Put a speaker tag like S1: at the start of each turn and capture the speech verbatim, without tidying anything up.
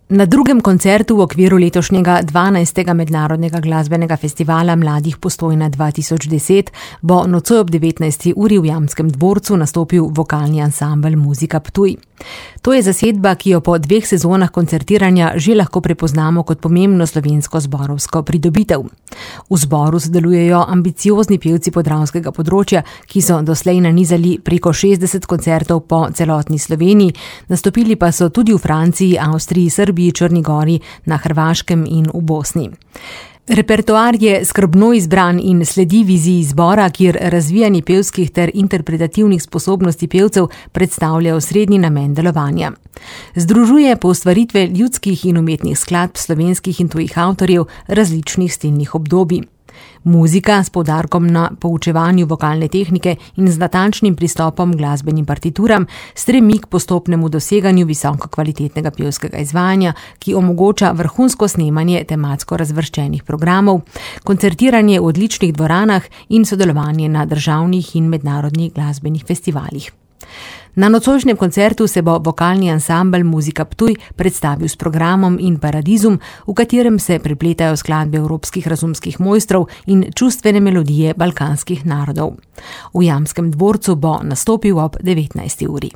S1: Na drugem koncertu v okviru letošnjega dvanajstega mednarodnega glasbenega festivala Mladih Postojna dva tisoč deset bo nocoj ob devetnajsti uri v Jamskem dvorcu nastopil vokalni ansambel Muzika Ptuj. To je zasedba, ki jo po dveh sezonah koncertiranja že lahko prepoznamo kot pomembno slovensko zborovsko pridobitev. V zboru sodelujejo ambiciozni pevci podravskega področja, ki so doslej nanizali preko šestdeset koncertov po celotni Sloveniji, nastopili pa so tudi v Franciji, Avstriji, Srbiji, Črni gori, na Hrvaškem in v Bosni. Repertoar je skrbno izbran in sledi viziji zbora, kjer razvijanje pevskih ter interpretativnih sposobnosti pevcev predstavlja osrednji namen delovanja. Združuje poustvaritve ljudskih in umetnih skladb slovenskih in tujih avtorjev različnih stilnih obdobij. Muzika s poudarkom na poučevanju vokalne tehnike in z natančnim pristopom k glasbenim partituram stremi k postopnemu doseganju visoko kvalitetnega pevskega izvajanja, ki omogoča vrhunsko snemanje tematsko razvrščenih programov, koncertiranje v odličnih dvoranah in sodelovanje na državnih in mednarodnih glasbenih festivalih. Na nocojšnjem koncertu se bo vokalni ansambel Muzika Ptuj predstavil s programom In Paradizum, v katerem se prepletajo skladbe evropskih razumskih mojstrov in čustvene melodije balkanskih narodov. V Jamskem dvorcu bo nastopil ob devetnajsti uri.